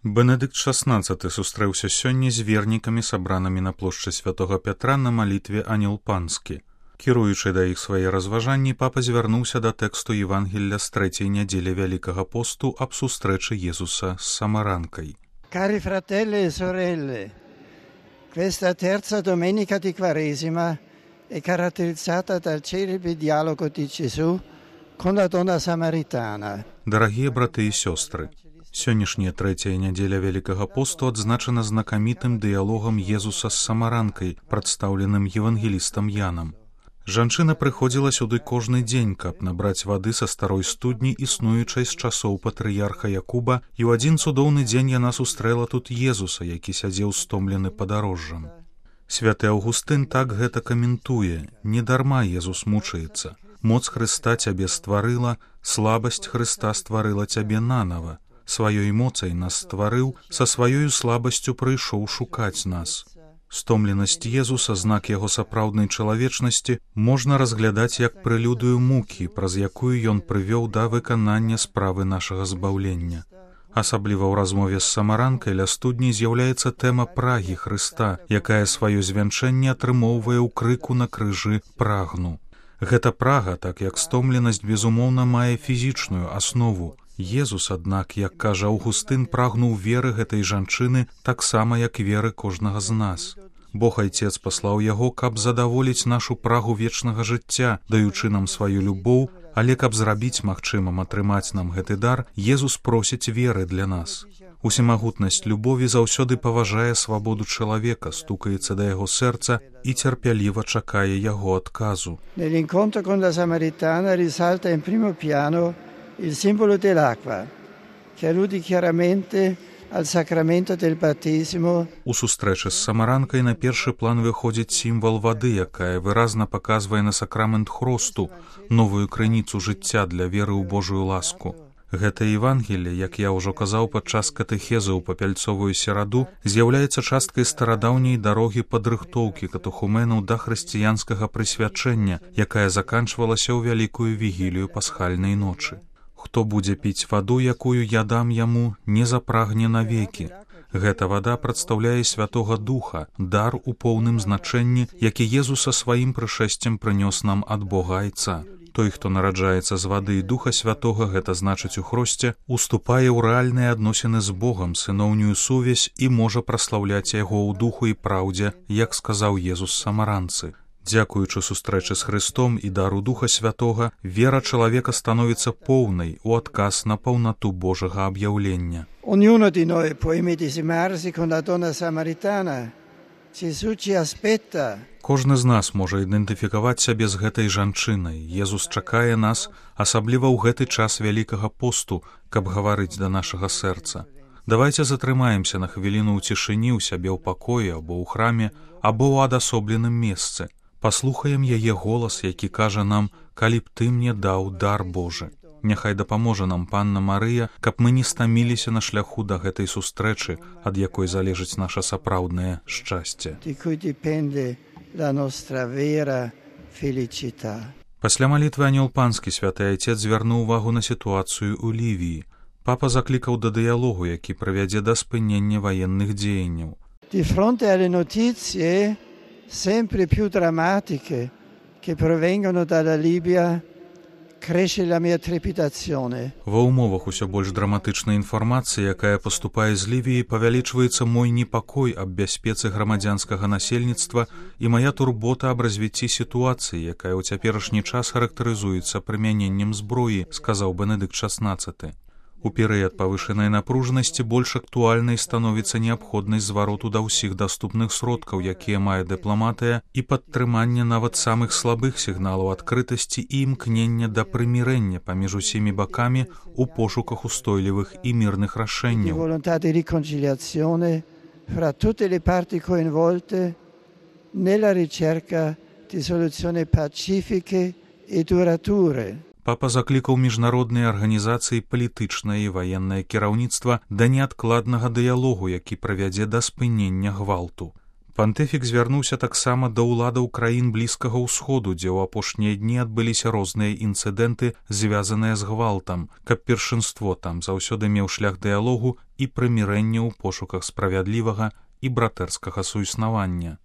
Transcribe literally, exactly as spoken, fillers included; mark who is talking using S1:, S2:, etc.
S1: Бенедыкт шаснаццаты сустрэўся сёння з вернікамі, сабранымі на плошчы святога Пятра на малітве «Анёл панскі». Кіруючы да іх свае разважанні, папа звярнуўся да тэксту Евангелля з трэцяй нядзелі Вялікага посту аб сустрэчы Езуса з самаранкай.
S2: Cari fratelli e sorelle, questa terza domenica di Quaresima è caratterizzata dal celebre dialogo di Gesù con la donna samaritana.
S1: Дарагія браты і сёстры, сённяшняя трэцяя нядзеля Вялікага посту адзначана знакамітым дыялогам Езуса з самаранкай, прадстаўленым евангелістам Янам. Жанчына прыходзіла сюды кожны дзень, каб набраць вады са старой студні, існуючай з часоў патрыярха Якуба, і ў адзін цудоўны дзень яна сустрэла тут Езуса, які сядзеў стомлены падарожжам. Святы Аўгустын так гэта каментуе: «Недарма Езус мучаецца. Моц Хрыста цябе стварыла, слабасць Хрыста стварыла цябе нанава. Сваёй моцай нас стварыў, са сваёю слабасцю прыйшоў шукаць нас». Стомленасць Езуса, знак яго сапраўднай чалавечнасці, можна разглядаць як прэлюдыю мукі, праз якую ён прывёў да выканання справы нашага збаўлення. Асабліва ў размове з самаранкай ля студні з'яўляецца тэма прагі Хрыста, якая сваё звянчэнне атрымоўвае ў крыку на крыжы «прагну». Гэта прага, так як стомленасць, безумоўна, мае фізічную аснову. Езус, аднак, як кажа Аўгустын, прагнуў веры гэтай жанчыны таксама, як веры кожнага з нас. Бог Айцец паслаў яго, каб задаволіць нашу прагу вечнага жыцця, даючы нам сваю любоў, але каб зрабіць магчымым атрымаць нам гэты дар, Езус просіць веры для нас. Усемагутнасць любові заўсёды паважае свабоду чалавека, стукаецца да яго сэрца і цярпяліва чакае яго адказу.
S2: Nell'incontro con la Samaritana risalta in primo piano il simbolo dell'acqua, che allude chiaramente al sacramento del battesimo.
S1: У сустрэчы з самаранкай на першы план выходзіць сімвал вады, якая выразна паказвае на сакрамент хросту, новую крыніцу жыцця для веры ў Божую ласку. Гэта Евангелле, як я ўжо казаў падчас катэхезы ў папяльцовую сераду, з'яўляецца часткай старадаўняй дарогі падрыхтоўкі катэхумэнаў да хрысціянскага прысвячэння, якая заканчвалася ў вялікую вігілію пасхальнай ночы. Хто будзе піць ваду, якую я дам яму, не запрагне навекі. Гэта вада прадстаўляе Святога Духа, дар у поўным значэнні, які Езус са сваім прышэсцем прынёс нам ад Бога Айца. Той, хто нараджаецца з вады і Духа Святога, гэта значыць у хросце, уступае ў рэальныя адносіны з Богам, сыноўнюю сувязь і можа праслаўляць яго ў духу і праўдзе, як сказаў Езус самаранцы. Дзякуючы сустрэчы з Хрыстом і дару Духа Святога, вера чалавека становіцца поўнай у адказ на паўнату Божага аб'яўлення.
S2: Ognuno di noi può immedesimarsi con la donna samaritana. Gesù ci aspetta.
S1: Кожны з нас можа ідэнтыфікаваць сябе з гэтай жанчынай. Езус чакае нас, асабліва ў гэты час Вялікага посту, каб гаварыць да нашага сэрца. Давайце затрымаемся на хвіліну ў цішыні ў сябе ў пакоі або ў храме, або ў адасобленым месцы. Паслухаем яе голас, які кажа нам: «Калі б ты мне даў дар Божы». Няхай дапаможа нам Панна Марыя, каб мы не стаміліся на шляху да гэтай сустрэчы, ад якой залежыць наша сапраўднае шчасце. Пасля малітвы «Анёл панскі» святы Айцец звярнуў увагу на сітуацыю ў Лівіі. Папа заклікаў да дыялогу, які прывядзе да спынення ваенных дзеянняў.
S2: Di fronte alle notizie sempre più drammatiche che provengono dalla Libia, cresce la mia trepidazione.
S1: Ва ўмовах усё больш драматычнай інфармацыі, якая паступае з Лівіі, павялічваецца мой непакой аб бяспецы грамадзянскага насельніцтва і мая турбота аб развіцці сітуацыі, якая ў цяперашні час характарызуецца прымяненнем зброі, сказаў Бенедыкт шаснаццаты. У перыяд павышанай напружанасці больш актуальнай становіцца неабходнасць звароту да ўсіх даступных сродкаў, якія мае дыпламатыя, і падтрымання нават самых слабых сігналаў адкрытасці і імкнення да прымірэння паміж усімі бакамі у пошуках устойлівых і мірных рашэнняў.
S2: Волонтà di riconciliazione fra tutte le parti coinvolte nella ricerca di soluzioni pacifiche e durature.
S1: Папа заклікаў міжнародныя арганізацыі, палітычнае і ваеннае кіраўніцтва да неадкладнага дыялогу, які прывядзе да спынення гвалту. Пантыфік звярнуўся таксама да ўладаў краін Блізкага ўсходу, дзе ў апошнія дні адбыліся розныя інцыдэнты, звязаныя з гвалтам, каб першынство там заўсёды меў шлях дыялогу і прымірэння ў пошуках справядлівага і братэрскага суіснавання.